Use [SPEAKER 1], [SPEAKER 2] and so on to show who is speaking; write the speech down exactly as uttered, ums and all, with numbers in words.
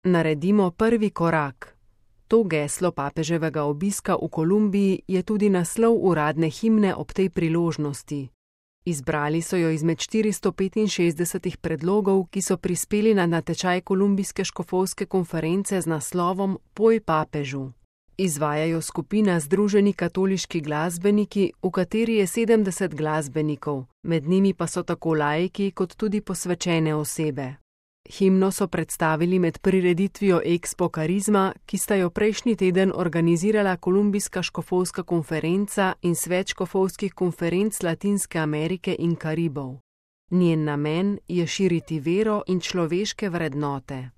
[SPEAKER 1] Naredimo prvi korak. To geslo papeževega obiska v Kolumbiji je tudi naslov uradne himne ob tej priložnosti. Izbrali so jo izmed štiristo petinšestdesetih predlogov, ki so prispeli na natečaj Kolumbijske škofovske konference z naslovom Poj papežu. Izvajajo skupina Združeni katoliški glasbeniki, v kateri je sedemdeset glasbenikov, med njimi pa so tako laiki kot tudi posvečene osebe. Himno so predstavili med prireditvijo Expo Karizma, ki sta jo prejšnji teden organizirala Kolumbijska škofovska konferenca in Svet škofovskih konferenc Latinske Amerike in Karibov. Njen namen je širiti vero in človeške vrednote.